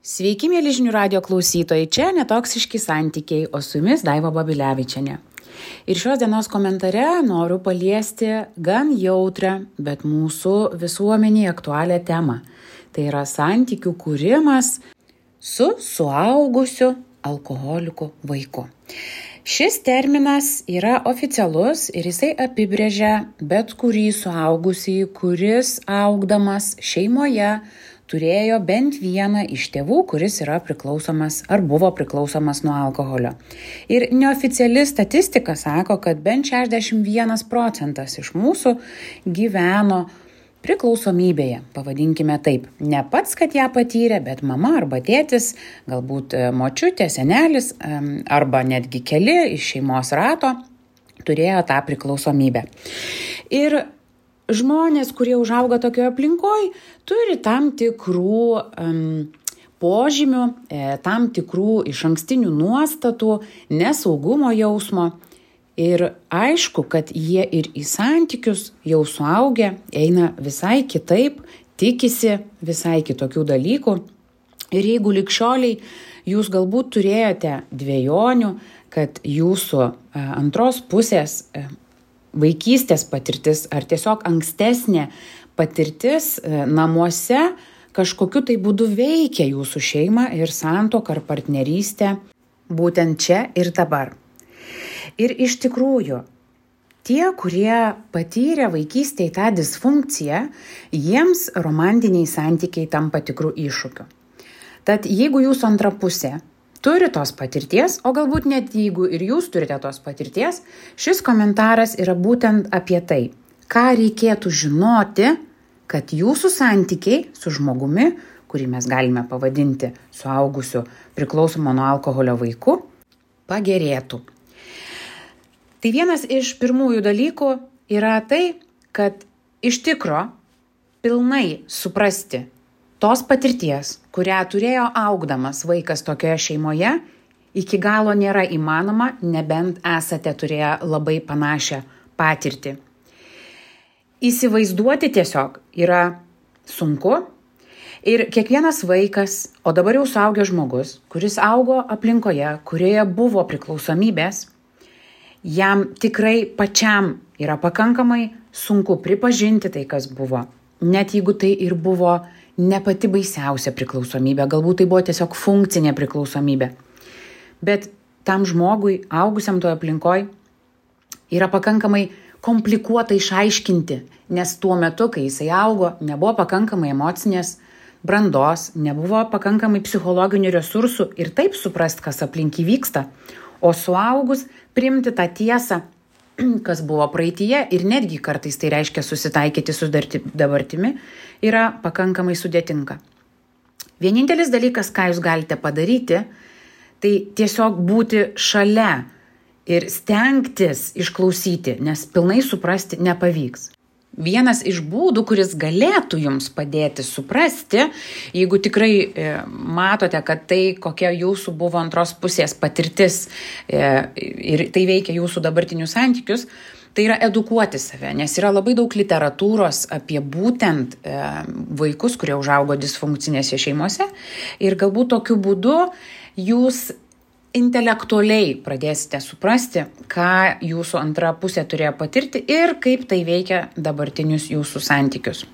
Sveiki, mėly žinių radijo klausytojai, čia Netoksiški santykiai, o su jumis Daiva Babilevičienė. Ir šios dienos komentare noriu paliesti gan jautrę, bet mūsų visuomeniai aktualią temą. Tai yra santykių kūrimas su suaugusiu alkoholiku vaiku. Šis terminas yra oficialus ir jisai apibrėžia bet kurį suaugusį, kuris augdamas šeimoje turėjo bent vieną iš tėvų, kuris yra priklausomas ar buvo priklausomas nuo alkoholio. Ir neoficiali statistika sako, kad bent 61% iš mūsų gyveno priklausomybėje, pavadinkime taip. Ne pats, kad ją patyrė, bet mama arba tėtis, galbūt močiutė, senelis arba netgi keli iš šeimos rato turėjo tą priklausomybę. Ir žmonės, kurie užauga tokioje aplinkoje, turi tam tikrų požymių, tam tikrų išankstinių nuostatų, nesaugumo jausmo. Ir aišku, kad jie ir į santykius jau suaugę eina visai kitaip, tikisi visai kitokių dalykų. Ir jeigu ligšioliai jūs galbūt turėjote dvejonių, kad jūsų antros pusės vaikystės patirtis ar tiesiog ankstesnė patirtis namuose kažkokiu tai būdu veikia jūsų šeimą ir santuoką ar partnerystę būtent čia ir dabar. Ir iš tikrųjų, tie, kurie patyrė vaikystėje tą disfunkciją, jiems romantiniai santykiai tampa tikrų iššūkių. Tad jeigu jūsų antra pusė turi tos patirties, o galbūt net jeigu ir jūs turite tos patirties, šis komentaras yra būtent apie tai, ką reikėtų žinoti, kad jūsų santykiai su žmogumi, kurį mes galime pavadinti suaugusiu priklausomu nuo alkoholio vaiku, pagerėtų. Tai vienas iš pirmųjų dalykų yra tai, kad iš tikro pilnai suprasti tos patirties, kurią turėjo augdamas vaikas tokioje šeimoje, iki galo nėra įmanoma, nebent esate turėję labai panašią patirtį. Įsivaizduoti tiesiog yra sunku ir kiekvienas vaikas, o dabar jau suaugęs žmogus, kuris augo aplinkoje, kurioje buvo priklausomybės, jam tikrai pačiam yra pakankamai sunku pripažinti tai, kas buvo. Net jeigu tai ir buvo ne pati baisiausia priklausomybė, galbūt tai buvo tiesiog funkcinė priklausomybė. Bet tam žmogui, augusiam toje aplinkoje, yra pakankamai komplikuota išaiškinti, nes tuo metu, kai jisai augo, nebuvo pakankamai emocinės brandos, nebuvo pakankamai psichologinių resursų ir taip suprast, kas aplink įvyksta. O suaugus priimti tą tiesą, kas buvo praeityje ir netgi kartais tai reiškia susitaikyti su dabartimi, yra pakankamai sudėtinga. Vienintelis dalykas, ką jūs galite padaryti, tai tiesiog būti šalia ir stengtis išklausyti, nes pilnai suprasti nepavyks. Vienas iš būdų, kuris galėtų jums padėti suprasti, jeigu tikrai matote, kad tai, kokia jūsų buvo antros pusės patirtis ir tai veikia jūsų dabartinius santykius, tai yra edukuoti save, nes yra labai daug literatūros apie būtent vaikus, kurie užaugo disfunkcinėse šeimose ir galbūt tokiu būdu jūs intelektualiai pradėsite suprasti, ką jūsų antra pusė turėjo patirti ir kaip tai veikia dabartinius jūsų santykius.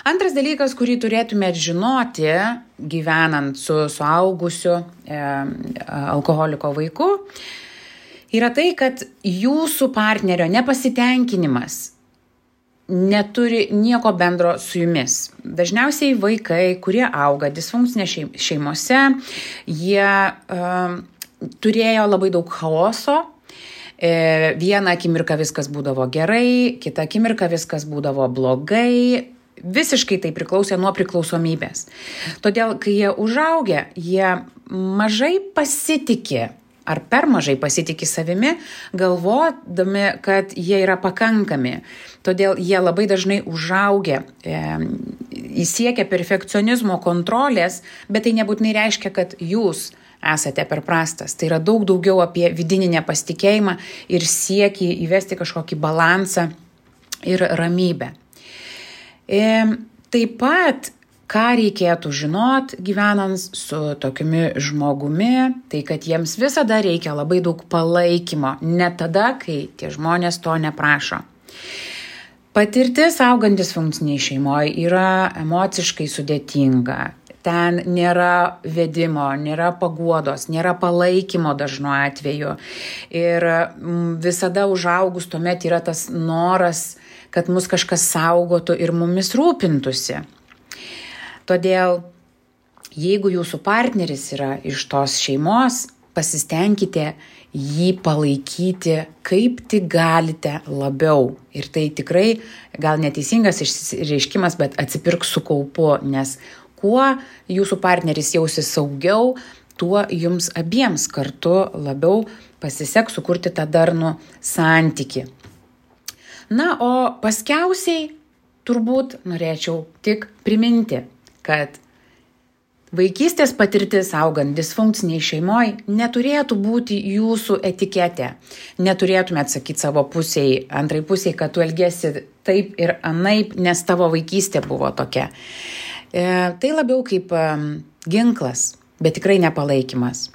Antras dalykas, kurį turėtumėt žinoti, gyvenant su suaugusiu alkoholiko vaiku, yra tai, kad jūsų partnerio nepasitenkinimas neturi nieko bendro su jumis. Dažniausiai vaikai, kurie auga disfunkcinėse šeimose, jie turėjo labai daug chaoso. Vieną akimirką viskas būdavo gerai, kitą akimirką viskas būdavo blogai. Visiškai tai priklausė nuo priklausomybės. Todėl, kai jie užaugę, jie mažai pasitikė ar per mažai pasitikė savimi, galvodami, kad jie yra pakankami. Todėl jie labai dažnai užaugę, įsiekia perfekcionizmo kontrolės, bet tai nebūtinai reiškia, kad jūs esate per prastas. Tai yra daug daugiau apie vidinį nepasitikėjimą ir siekį įvesti kažkokį balansą ir ramybę. Taip pat ką reikėtų žinot gyvenant su tokiumi žmogumi, tai kad jiems visada reikia labai daug palaikymo, net tada, kai tie žmonės to neprašo. Patirtis augant disfunkciniai šeimoje yra emociškai sudėtinga. Ten nėra vedimo, nėra paguodos, nėra palaikymo dažnu atveju. Ir visada užaugus tuomet yra tas noras, kad mus kažkas saugotų ir mumis rūpintųsi. Todėl, jeigu jūsų partneris yra iš tos šeimos, pasistengkite jį palaikyti kaip tik galite labiau. Ir tai tikrai gal neteisingas išreiškimas, bet atsipirk su kaupu, nes kuo jūsų partneris jausis saugiau, tuo jums abiems kartu labiau pasiseks sukurti tą darnų santykį. Na, o paskiausiai turbūt norėčiau tik priminti, kad vaikystės patirtis augant disfunkciniai šeimoje neturėtų būti jūsų etiketė. Neturėtumėt sakyti savo pusiai, antrai pusiai, kad tu elgiesi taip ir anaip, nes tavo vaikystė buvo tokia. Tai labiau kaip ginklas, bet tikrai nepalaikymas.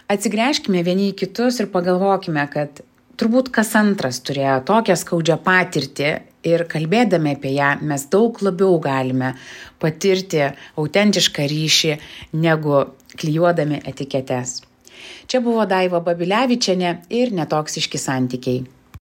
Atsigręžkime vieni į kitus ir pagalvokime, kad turbūt kas antras turėjo tokią skaudžią patirtį ir kalbėdami apie ją mes daug labiau galime patirti autentišką ryšį, negu klijuodami etiketes. Čia buvo Daiva Babilevičienė ir Netoksiški santykiai.